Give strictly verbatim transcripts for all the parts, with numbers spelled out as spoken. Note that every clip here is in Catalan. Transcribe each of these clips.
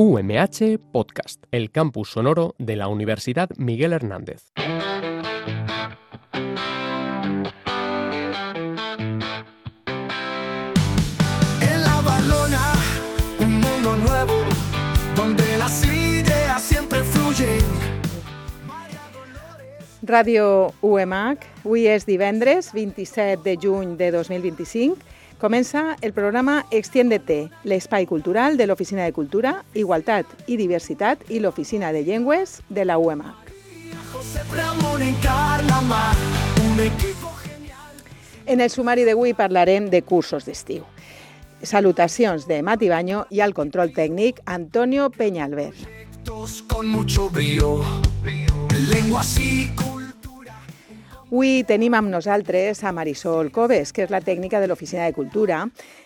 U M H Podcast, el campus sonoro de la Universidad Miguel Hernández. En la Barlona, un mundo nuevo, donde las ideas siempre fluyen. Ràdio U M H, avui és divendres, vint-i-set de juny de dos mil vint-i-cinc. Comença el programa Extiéndete, l'espai cultural de l'Oficina de Cultura, Igualtat i Diversitat i l'Oficina de Llengües de la U M H. En el sumari d'avui parlarem de cursos d'estiu. Salutacions de Mati Baño i al control tècnic Antonio Peñalver. Con mucho brío, lenguas y cultura. Avui tenim amb nosaltres a Marisol Coves, que és la tècnica de l'Oficina de Cultura,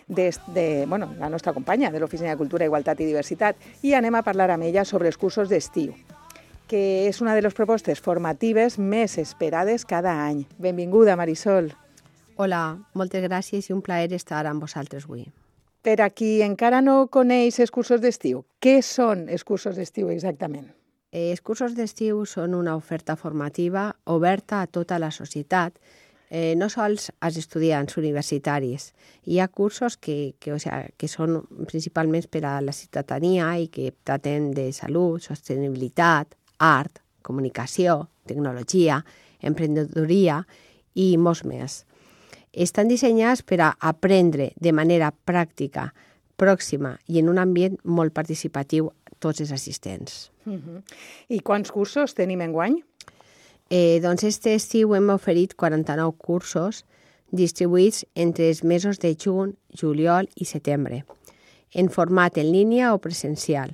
des de, bueno, la nostra companya de l'Oficina de Cultura, Igualtat i Diversitat, i anem a parlar amb ella sobre els cursos d'estiu, que és una de les propostes formatives més esperades cada any. Benvinguda, Marisol. Hola, moltes gràcies i un plaer estar amb vosaltres avui. Per a qui encara no coneix els cursos d'estiu, què són els cursos d'estiu exactament? Els cursos d'estiu són una oferta formativa oberta a tota la societat, eh, no sols als estudiants universitaris. Hi ha cursos que, que, o sea, que són principalment per a la ciutadania i que traten de salut, sostenibilitat, art, comunicació, tecnologia, emprenedoria i molts més. Estan dissenyats per a aprendre de manera pràctica, pròxima i en un ambient molt participatiu tots els assistents. Uh-huh. I quants cursos tenim enguany? Eh, doncs este estiu hem oferit quaranta-nou cursos distribuïts entre els mesos de juny, juliol i setembre, en format en línia o presencial.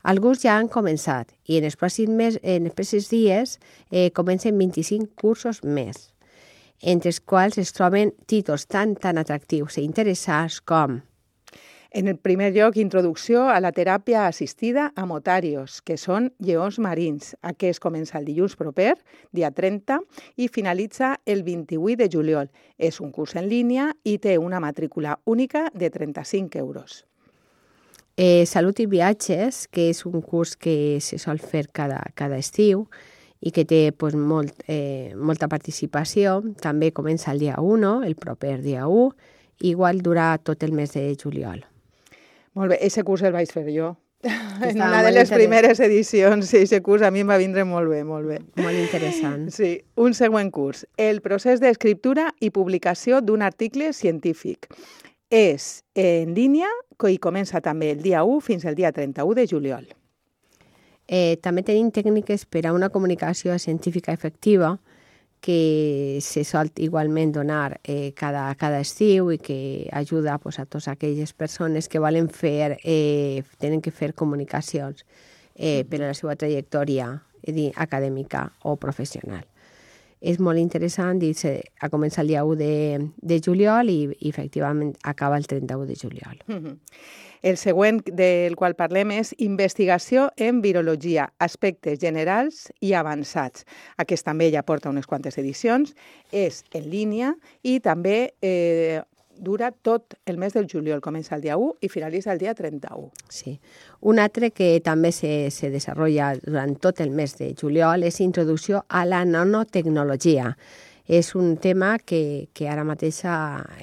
Alguns ja han començat i en els pròxims, mes, en els pròxims dies eh, comencen vint-i-cinc cursos més, entre els quals es troben títols tan, tan atractius i interessants com: en el primer lloc, introducció a la teràpia assistida a motarios, que són lleons marins. Aquest comença el dilluns proper, dia trenta, i finalitza el vint-i-vuit de juliol. És un curs en línia i té una matrícula única de trenta-cinc euros. Eh, Salut i viatges, que és un curs que se sol fer cada, cada estiu i que té pues, molt, eh, molta participació. També comença el dia u, el proper dia u, i igual durà tot el mes de juliol. Molt bé, aquest curs el vaig fer jo. En una de les primeres edicions, sí, aquest curs a mi em va vindre molt bé, molt bé. Molt interessant. Sí, un següent curs. El procés d'escriptura i publicació d'un article científic. És en línia i comença també el dia u fins al dia trenta-u de juliol. Eh, també tenim tècniques per a una comunicació científica efectiva que se sol igualment donar eh, cada, cada estiu i que ajuda pues, a totes aquelles persones que volen fer, eh, tenen que fer comunicacions eh, per a la seva trajectòria eh, acadèmica o professional. És molt interessant i se, a començar el dia u de, de juliol i, i efectivament acaba el trenta-u de juliol. Uh-huh. El següent del qual parlem és investigació en virologia, aspectes generals i avançats. Aquest també ja porta unes quantes edicions, és en línia i també eh, dura tot el mes del juliol. Comença el dia u i finalitza el dia trenta-u. Sí. Un altre que també se, se desenvolupa durant tot el mes de juliol és introducció a la nanotecnologia. És un tema que, que ara mateix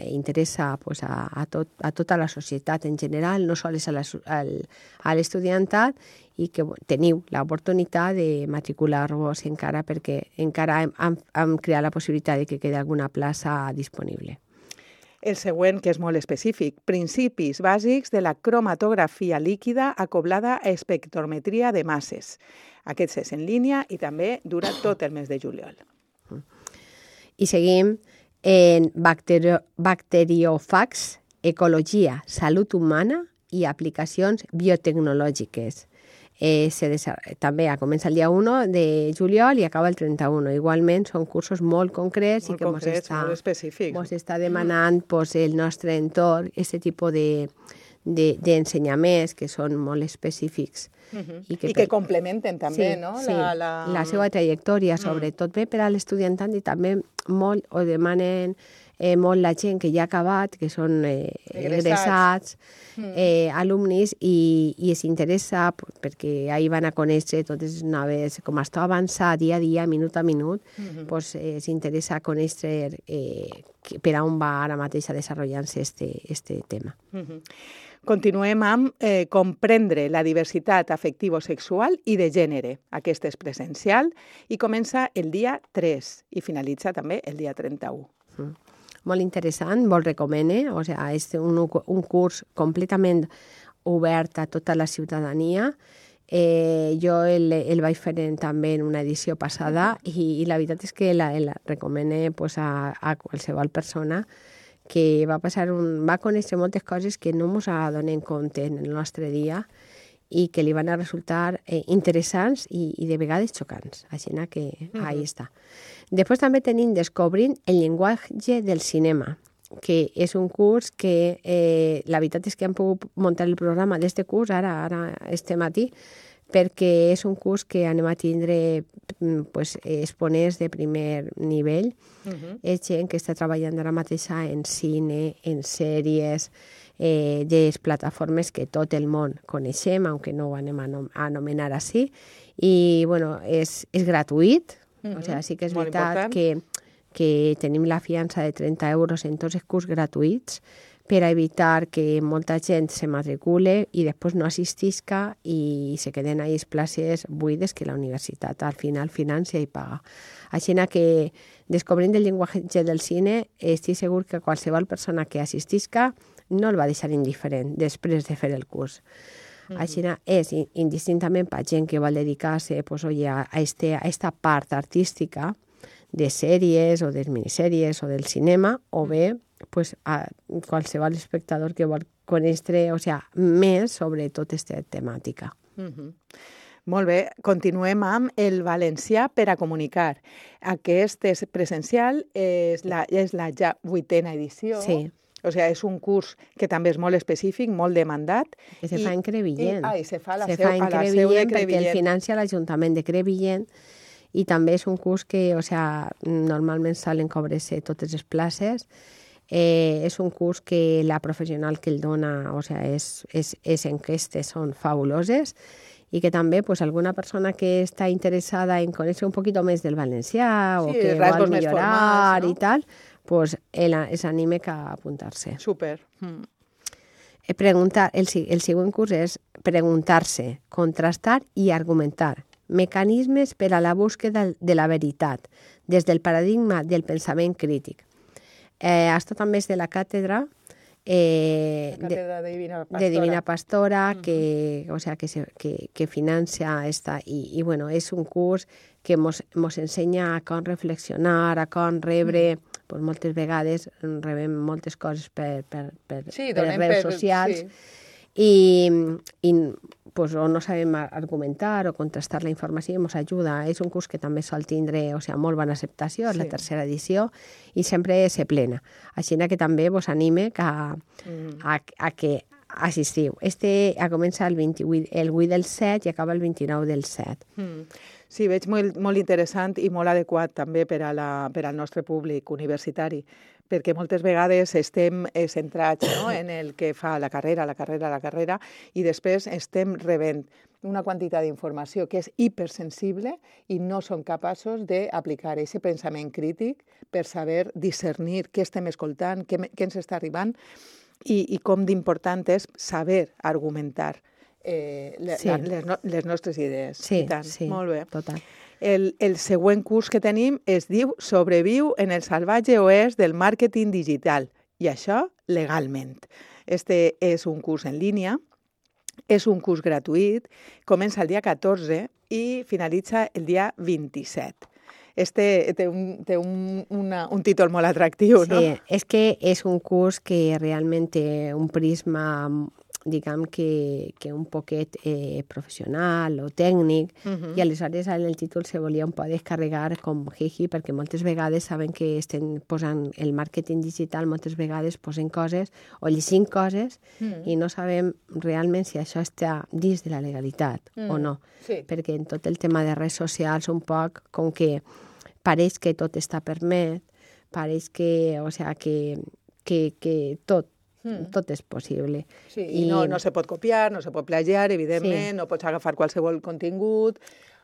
interessa pues, a, a, tot, a tota la societat en general, no sols a, la, a l'estudiantat, i que teniu l'oportunitat de matricular-vos encara perquè encara hem, hem, hem creat la possibilitat de que quedi alguna plaça disponible. El següent, que és molt específic, principis bàsics de la cromatografia líquida acoblada a espectrometria de masses. Aquest és en línia i també dura tot el mes de juliol. I seguim en bacterio, bacteriòfags, ecologia, salut humana i aplicacions biotecnològiques. Eh, se també comença el dia u de juliol i acaba el trenta-u. Igualment són cursos molt concrets molt i que concrets, ens està, molt específics. Ens està demanant pues, el nostre entorn, aquest tipus de, de, d'ensenyaments que són molt específics. Uh-huh. I que, I que per... complementen també, sí, no? Sí, la, la... la seva trajectòria, sobretot bé per a l'estudiantat i també molt ho demanen eh, molt la gent que ja ha acabat, que són eh, egressats, eh, alumnis, i, i es interessa perquè ahir van a conèixer totes les noves, com està avançat dia a dia, minut a minut, mm-hmm. pues, eh, s'interessa conèixer eh, per on va ara mateix a desenvolupar-se este, este tema. Mm-hmm. Continuem amb eh, comprendre la diversitat afectivo-sexual i de gènere. Aquest és presencial i comença el dia tres i finalitza també el dia trenta-u. Mm. Molt interessant, molt recomane. O sigui, és un, un curs completament obert a tota la ciutadania. Eh, jo el, el vaig fer en, també en una edició passada i, i la veritat és que la, la recomane pues, a, a qualsevol persona que va passar un, va conèixer moltes coses que no ens adonem compte en el nostre dia i que li van a resultar eh, interessants i, i de vegades xocants. Així que mm-hmm. ahí està. Després també tenim Descobrint el llenguatge del cinema, que és un curs que eh, la veritat és que hem pogut muntar el programa d'este curs, ara, ara este matí, perquè és un curs que anem a tindre pues, exponents de primer nivell. Uh-huh. És gent que està treballant ara mateixa en cine, en sèries, eh, de les plataformes que tot el món coneixem, aunque no ho anem a, nom a anomenar així. I, bueno, és, és gratuït. Uh-huh. O sigui, sí que és molt veritat que, que tenim la fiança de trenta euros en tots els curs gratuïts, per a evitar que molta gent se matricule i després no assistisca i se queden ahí les places buides que la universitat al final financia i paga. Així que Descobrint el llenguatge del cine, estic segur que qualsevol persona que assistisca no el va deixar indiferent després de fer el curs. Mm-hmm. Així és indistintament per gent que vol dedicar-se pues, oye, a, este, a esta part artística de sèries o de minissèries o del cinema, o bé pues, a qualsevol espectador que vol conèixer o sea, més sobre tota aquesta temàtica. Mm-hmm. Molt bé, continuem amb el valencià per a comunicar. Aquest és presencial, és la, és la ja vuitena edició. Sí. O sigui, és un curs que també és molt específic, molt demandat. Que se I, fa en Crevillent. I, ah, i se fa a la se seu, fa en a la Crevillent, seu de Crevillent. Perquè el financia l'Ajuntament de Crevillent i també és un curs que, o sea, normalment solen cobrar-se totes les places. Eh, és un curs que la professional que el dona, o sea, és, és, és enquestes són fabuloses i que també pues, alguna persona que està interessada en conèixer un poquito més del valencià sí, o que vol millorar formals, no? I tal, pues, el, es anime a apuntar-se. Súper. Mm. Preguntar, el, el següent curs és preguntar-se, contrastar i argumentar. Mecanismes per a la búsqueda de la veritat, des del paradigma del pensament crític. Eh, esto també és de la càtedra, eh, la càtedra de, de Divina Pastora, de Divina Pastora uh-huh. que, o sea, que, se, que, que financia esta. I, i bueno, és un curs que mos, mos ensenya a com reflexionar, a com rebre, uh-huh. pues, moltes vegades rebem moltes coses per, per, per, sí, per les redes per, socials. Sí. I, i pues, o no sabem argumentar o contrastar la informació i ens ajuda. És un curs que també sol tindre o sigui, molt bona acceptació, és sí. la tercera edició, i sempre se plena. Així que també vos anime a, mm. a, a que assistiu. Este a començar el, vint-i-vuit, el vuit del set i acaba el vint-i-nou del set. Mm. Sí, veig molt, molt interessant i molt adequat també per, a la, per al nostre públic universitari, perquè moltes vegades estem centrats no, en el que fa la carrera, la carrera, la carrera, i després estem rebent una quantitat d'informació que és hipersensible i no som capaços d'aplicar aquest pensament crític per saber discernir què estem escoltant, què, què ens està arribant i, i com d'important és saber argumentar eh, le, sí. la, les, no, les nostres idees. Sí, I tant. sí, molt bé. Total. El, el següent curs que tenim es diu Sobreviu en el salvatge oest del màrqueting digital, i això legalment. Este és un curs en línia, és un curs gratuït, comença el dia catorze i finalitza el dia vint-i-set. Este té un, té un, una, un títol molt atractiu, no? Sí, és que és un curs que realment té un prisma diguem que, que un poquet eh, professional o tècnic, uh-huh. i aleshores en el títol se volia un poc descarregar com jiji, perquè moltes vegades saben que estem posant el màrqueting digital, moltes vegades posen coses o llegint coses uh-huh. i no sabem realment si això està dins de la legalitat uh-huh. o no. Sí. Perquè en tot el tema de redes socials un poc com que pareix que tot està permet, pareix que, o sea, que, que, que tot, mm. tot és possible. Sí, i no, no se pot copiar, no se pot plagiar, evidentment, Sí. no pots agafar qualsevol contingut,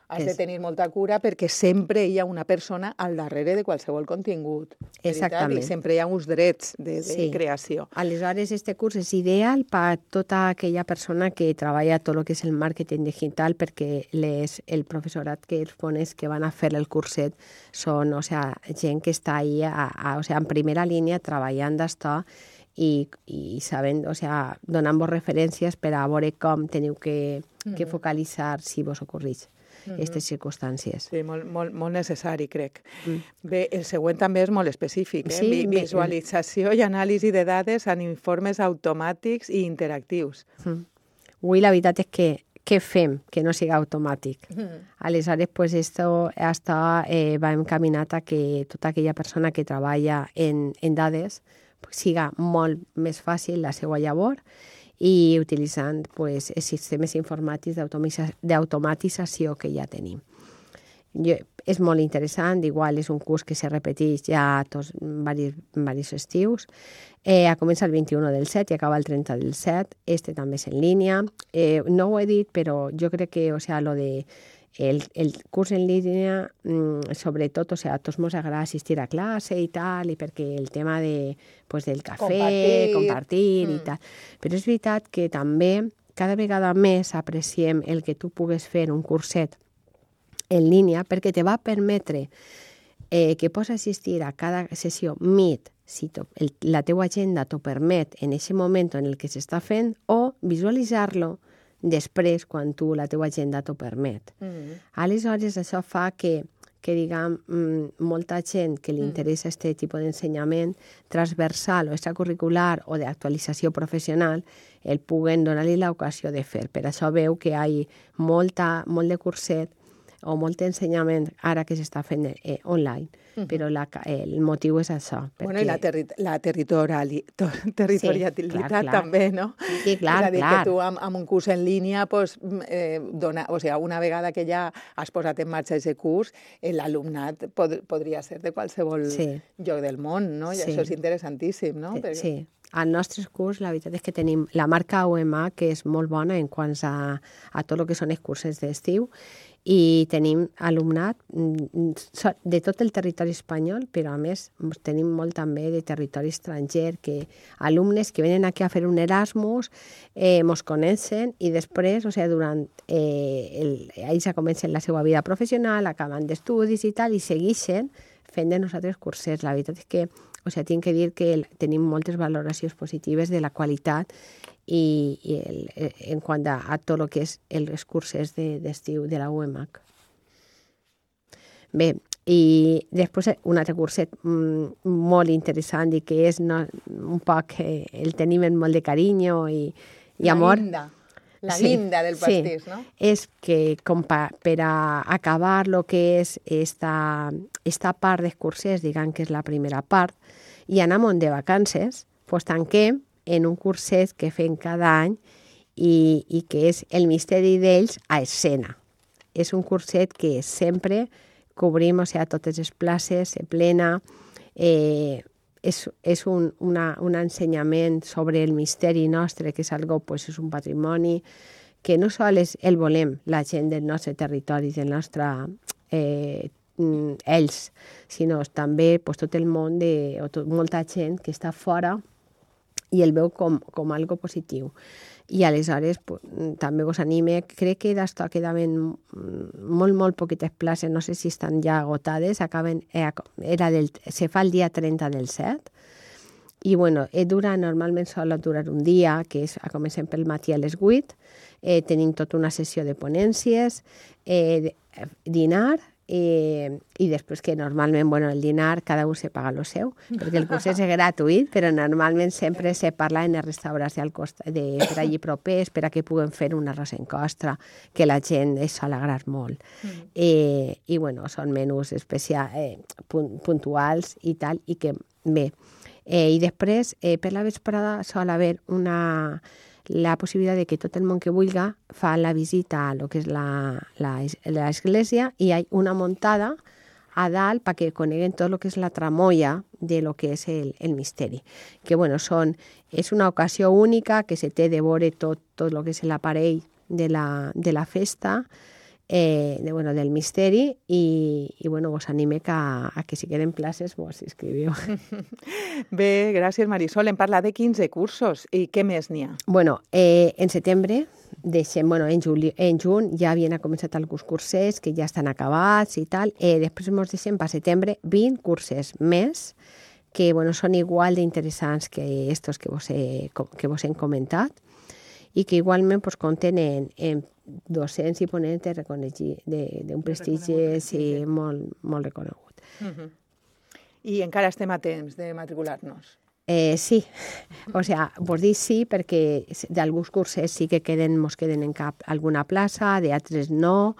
has de És- tenir molta cura perquè sempre hi ha una persona al darrere de qualsevol contingut. veritat? Exactament. I sempre hi ha uns drets de, de Sí. creació. Aleshores, este curs és ideal per tota aquella persona que treballa tot el que és el màrqueting digital, perquè les, el professorat que els pones que van a fer el curset són, o sea, gent que està ahí a, a, o sea, en primera línia treballant d'això i, i sabent, o sea, donant-vos referències per a veure com teniu que, que focalitzar si vos ocorreix aquestes circumstàncies. Sí, molt, molt, molt necessari, crec. Mm. Bé, el següent també és molt específic, eh? Sí, Vi- bé, Visualització i anàlisi de dades en informes automàtics i interactius. Mm. Avui la veritat és que què fem que no siga automàtic? Mm. Aleshores, pues esto hasta eh, va encaminat a que tota aquella persona que treballa en, en dades pues, siga molt més fàcil la seva llavor i utilitzant pues, els sistemes informàtics d'automatitza- d'automatització que ja tenim. Jo, és molt interessant, igual és un curs que se repeteix ja tots varis, varis estius. Eh, comença el vint-i-u del set i acaba el trenta del set. Este també és en línia. Eh, no ho he dit, però jo crec que, o sea, lo de el, el curs en línia, mmm, sobretot, o sea, a tots ens agrada assistir a classe i tal, i perquè el tema de, pues, del cafè, Compartir. compartir mm. i Mm. tal. Però és veritat que també cada vegada més apreciem el que tu pugues fer un curset en línia perquè te va permetre eh, que pots assistir a cada sessió Meet si to, el, la teua agenda t'ho permet en aquest moment en el que s'està fent o visualitzar-lo després quan tu la teua agenda t'ho permet. Mm. Aleshores, això fa que, que diguem, molta gent que li interessa aquest tipus d'ensenyament transversal o extracurricular o d'actualització professional el puguen donar-li l'ocasió de fer. Per això veu que hi ha molta, molt de curset o molt d'ensenyament ara que s'està fent eh, online, uh -huh. però la, el motiu és això. Perquè... Bueno, i la, terri la territoriali to territorialitat Sí, clar, clar. també, no? Sí, clar, és a dir, clar. que tu amb, amb un curs en línia, pues, eh, dona, o sea, una vegada que ja has posat en marxa aquest curs, eh, l'alumnat pod podria ser de qualsevol Sí. lloc del món, no? I Sí. això és interessantíssim, no? Sí, Perquè... sí. Al nostre curs, la veritat és que tenim la marca U M A, que és molt bona en quant a, a tot el que són els cursos d'estiu, i tenim alumnat de tot el territori espanyol, però a més tenim molt també de territori estranger, que alumnes que venen aquí a fer un Erasmus, eh, mos coneixen i després, o sigui, durant eh, el, ells ja comencen la seva vida professional, acaben d'estudis i tal, i segueixen fent de nosaltres cursers. La veritat és que, o sigui, tinc que dir que tenim moltes valoracions positives de la qualitat i, i el, en quant a, a tot el que és els cursos d'estiu de, de la U M A C. Bé, i després un altre curset mm, molt interessant i que és no, un poc, eh, el tenim amb molt de carinyo i, i amor. La guinda, la Sí, guinda del pastís, sí. no? És que com pa, per a acabar el que és esta, esta part dels cursers, diguem que és la primera part, i anem de vacances, doncs tanquem en un curset que fem cada any i, i que és el misteri d'ells a escena. És un curset que sempre cobrim, o sigui, totes les places, se plena, eh, és, és un, una, un ensenyament sobre el misteri nostre, que és algo, pues, és un patrimoni que no sols el volem la gent del nostre territori, del nostre eh, ells, sinó també pues, tot el món, de, o tot, molta gent que està fora i el veu com, com algo positiu. I aleshores pues, també vos anime, crec que d'això quedaven molt, molt poquites places, no sé si estan ja agotades, acaben, era del, se fa el dia trenta del set, i bueno, dura, normalment sol durar un dia, que és, comencem pel matí a les vuit, eh, tenim tota una sessió de ponències, eh, dinar, Eh, i després que normalment, bueno, el dinar cada un se paga lo seu, perquè el curs és gratuït, però normalment sempre se parla en els restaurants al costat de, per allí propers, per a que puguen fer un arròs en costra, que la gent es sol agradar molt. Mm. Eh, I, bueno, són menús especials, eh, puntuals i tal, i que, bé. Eh, I després, eh, per la vesprada, sol haver una... la possibilitat de que tot el món que vulga fa la visita a lo que és l'església i hi ha una muntada a dalt perquè coneguen tot el que és la tramoia de lo que és el, el misteri. Que, bueno, són, és una ocasió única que se té de veure tot, tot el que és l'aparell de la, de la festa, eh, de, bueno, del misteri, i, i bueno, vos anime que, a que si queden places vos inscriviu. Bé, gràcies Marisol. Hem parlat de quinze cursos i què més n'hi ha? Bueno, eh, en setembre, deixem, bueno, en, juli, en juny ja havien començat alguns cursers que ja estan acabats i tal. Eh, després ens deixem per setembre vint curses més que bueno, són igual d'interessants que estos que vos he, que vos hem comentat i que igualment pues, compten en, en docents i ponents d'un prestigi sí, molt, molt reconegut. Uh-huh. I encara estem a temps de matricular-nos? Eh, sí, o sea, vos dic sí perquè d'alguns cursos sí que queden, mos queden en cap alguna plaça, d'altres no.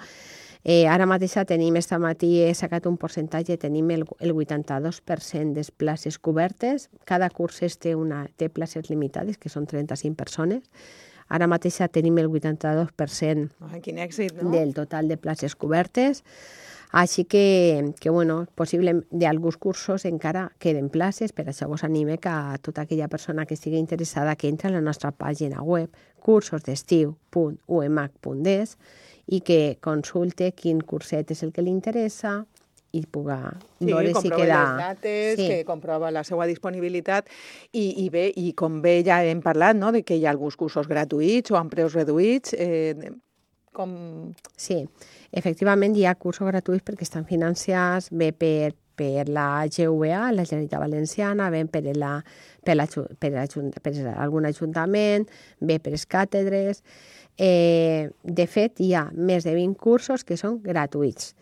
Eh, ara mateix tenim, esta matí he sacat un percentatge, tenim el, el vuitanta-dos per cent de places cobertes. Cada curs té, una, té places limitades, que són trenta-cinc persones. Ara mateix tenim el vuitanta-dos per cent Ai, quin èxit, no? del total de places cobertes. Així que, que bueno, possible d'alguns cursos encara queden places, per això vos anime que a tota aquella persona que estigui interessada que entre a la nostra pàgina web cursos d'estiu punt u m h punt d e s i que consulte quin curset és el que li interessa i puga sí, veure si queda... les dates, sí. que comprova la seva disponibilitat i, i bé, i com bé ja hem parlat, no?, de que hi ha alguns cursos gratuïts o amb preus reduïts, eh, com... Sí, efectivament hi ha cursos gratuïts perquè estan financiats bé per, per la G V A, la Generalitat Valenciana, bé per, la, per, la, per, la, per algun ajuntament, bé per les càtedres. Eh, de fet, hi ha més de vint cursos que són gratuïts.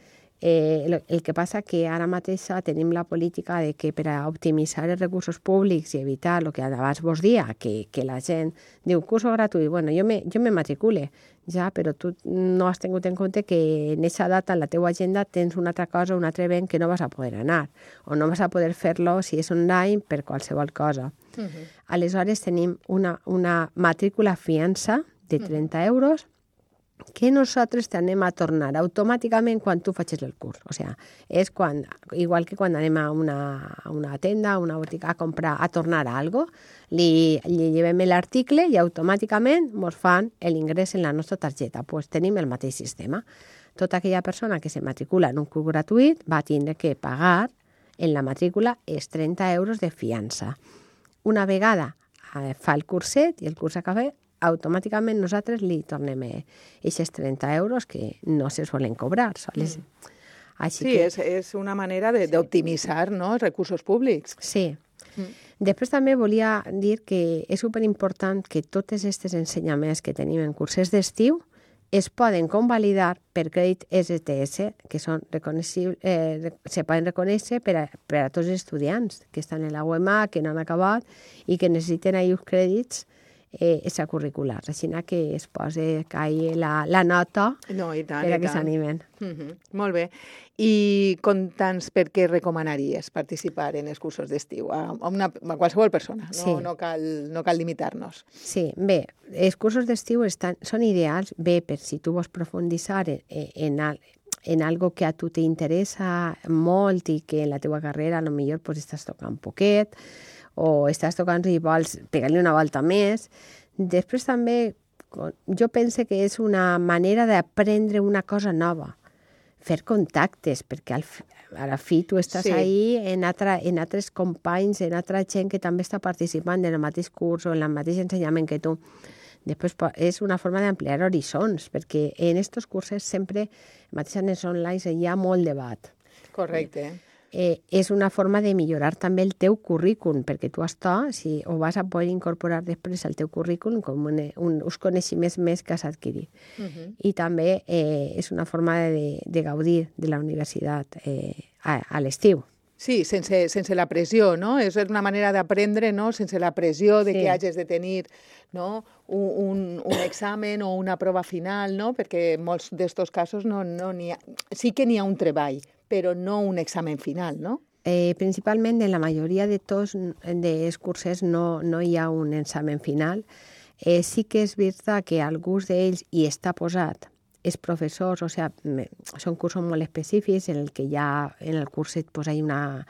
Eh, el, el que passa que ara mateix tenim la política de que per a optimitzar els recursos públics i evitar el que abans vos dia, que, que la gent diu curso gratuït, bueno, jo me, jo me matricule, ja, però tu no has tingut en compte que en aquesta data en la teua agenda tens una altra cosa, un altre event que no vas a poder anar, o no vas a poder fer-lo si és online per qualsevol cosa. Uh-huh. Aleshores tenim una, una matrícula fiança de trenta euros que nosaltres t'anem a tornar automàticament quan tu facis el curs. O sigui, és quan, igual que quan anem a una, a una tenda, a una botiga a comprar, a tornar a algo, li, li llevem l'article i automàticament ens fan l'ingrés en la nostra targeta. Pues tenim el mateix sistema. Tota aquella persona que se matricula en un curs gratuït va tindre que pagar en la matrícula els trenta euros de fiança. Una vegada eh, fa el curset i el curs acaba, automàticament nosaltres li tornem aquests trenta euros que no se solen cobrar. Soles. Mm. Així sí, que... és, és una manera d'optimitzar sí. no, els recursos públics. Sí. Mm. Després també volia dir que és superimportant que tots aquests ensenyaments que tenim en cursos d'estiu es poden convalidar per crèdit S T S, que són eh, se poden reconèixer per a, per a tots els estudiants que estan en la U M A, que no han acabat i que necessiten aquells crèdits eh, extracurriculars. Així que es posa cair la, la nota no, i tant, per a i que tant. s'animen. Uh-huh. Molt bé. I conta'ns per què recomanaries participar en els cursos d'estiu a, a, una, a qualsevol persona, no, sí. no cal, no cal limitar-nos. Sí, bé, els cursos d'estiu estan, són ideals, bé, per si tu vols profunditzar en, en, en algo que a tu t'interessa molt i que en la teva carrera a lo millor pues, estàs tocant poquet o estàs tocant i vols pegar-li una volta més. Després també jo penso que és una manera d'aprendre una cosa nova, fer contactes, perquè al, a la fi tu estàs sí. ahí en, altra, en altres companys, en altra gent que també està participant en el mateix curs o en el mateix ensenyament que tu. Després és una forma d'ampliar horitzons, perquè en aquests cursos sempre, mateix en els online, hi ha molt debat. Correcte. Eh, és una forma de millorar també el teu currículum, perquè tu això si ho vas a poder incorporar després al teu currículum com un, un, uns coneixements més que has adquirit. Uh-huh. I també eh, és una forma de, de gaudir de la universitat eh, a, a l'estiu. Sí, sense, sense la pressió, no? És una manera d'aprendre, no?, sense la pressió de sí. que hagis de tenir no? un, un, un examen o una prova final, no? Perquè en molts d'aquests casos no, no n'hi ha... sí que n'hi ha un treball, però no un examen final, no? Eh, principalment en la majoria de tots els cursos no, no hi ha un examen final. Eh, sí que és veritat que alguns d'ells hi està posat els professors, o sea, són cursos molt específics en el que ja en el curset pues, hay una,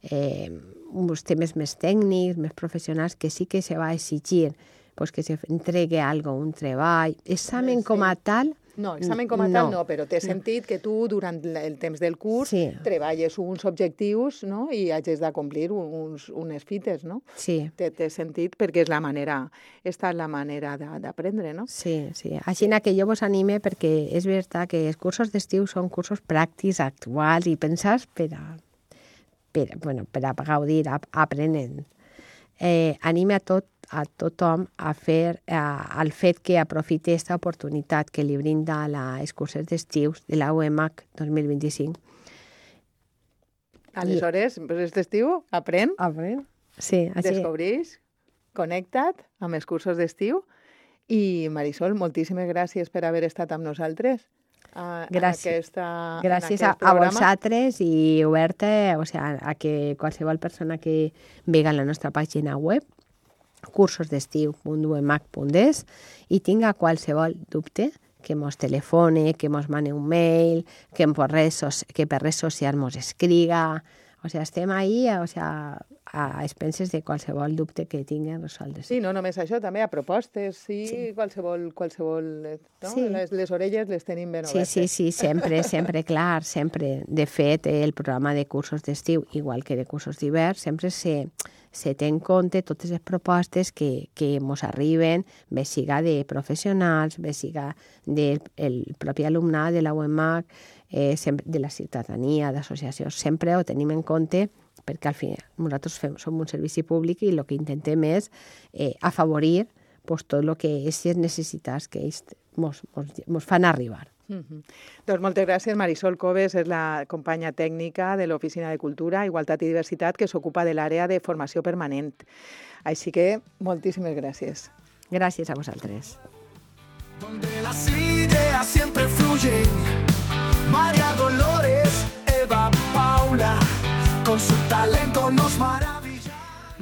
eh, uns temes més tècnics, més professionals, que sí que se va exigir pues, que se entregue algo, un treball. Examen Sí. com a tal... No, examen com a tal No. no, però té sentit que tu durant el temps del curs Sí. treballes uns objectius, no?, i hagis de complir uns, unes fites, no? Sí, Té, té sentit perquè és la manera, esta és la manera de- d'aprendre, no? sí, sí. Així que jo vos anime perquè és veritat que els cursos d'estiu són cursos pràctics, actuals i pensats per a, per, bueno, per a gaudir, a, aprenent. Eh, anime a tot a tothom a fer a, al fet que aprofite aquesta oportunitat que li brinda la, els cursos d'estiu de la U E M A C dos mil vint-i-cinc. Aleshores, aquest estiu, aprèn, Aprèn? Sí, així. descobreix, connecta't amb els cursos d'estiu i, Marisol, moltíssimes gràcies per haver estat amb nosaltres. A, Gràcies. En aquesta, Gràcies en a, aquest a programa. vosaltres i oberta o sea, a que qualsevol persona que vega en la nostra pàgina web cursosdestiu punt u e m a c punt es i tinga qualsevol dubte que mos telefone, que mos mane un mail, que, per redes, que per redes socials mos escriga. O sea, estem ahí o sea, a expenses de qualsevol dubte que tinguen resoldre. Sí, no només això, també a propostes, sí, Sí. qualsevol... qualsevol eh, no? Sí. Les, les orelles les tenim ben Sí, obertes. sí, sí, sempre, sempre, clar, sempre. De fet, el programa de cursos d'estiu, igual que de cursos d'hivern, sempre se, se té en compte totes les propostes que, que mos arriben, bé siga de professionals, bé siga del el propi alumnat de la U E M A C, eh, sempre, de la ciutadania, d'associacions, sempre ho tenim en compte perquè al final nosaltres fem, som un servici públic i el que intentem és eh, afavorir pues, tot el que és les necessitats que ells mos, mos, mos fan arribar. Mm -hmm. Doncs moltes gràcies. Marisol Coves és la companya tècnica de l'Oficina de Cultura, Igualtat i Diversitat que s'ocupa de l'àrea de formació permanent. Així que moltíssimes gràcies. Gràcies a vosaltres. Donde las ideas siempre fluyen. María Dolores, Eva, Paula, con su talento nos maravilla.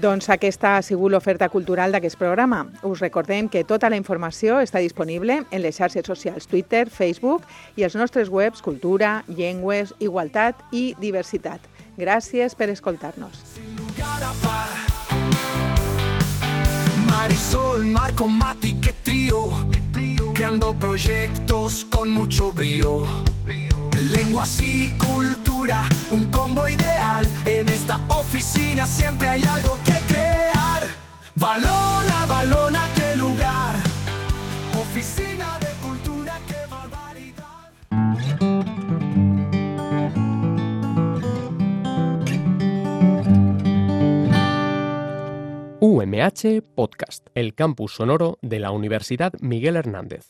Doncs aquesta ha sigut l'oferta cultural d'aquest programa. Us recordem que tota la informació està disponible en les xarxes socials Twitter, Facebook i els nostres webs Cultura, Llengües, Igualtat i Diversitat. Gràcies per escoltar-nos. Sin lugar a par. Marisol, Marco, Mati, qué trío, creando proyectos con mucho brío. Lenguas y cultura, un combo ideal. En esta oficina siempre hay algo que crear. Balona, balona, qué lugar. Oficina de cultura, qué barbaridad. U M H Podcast, el campus sonoro de la Universidad Miguel Hernández.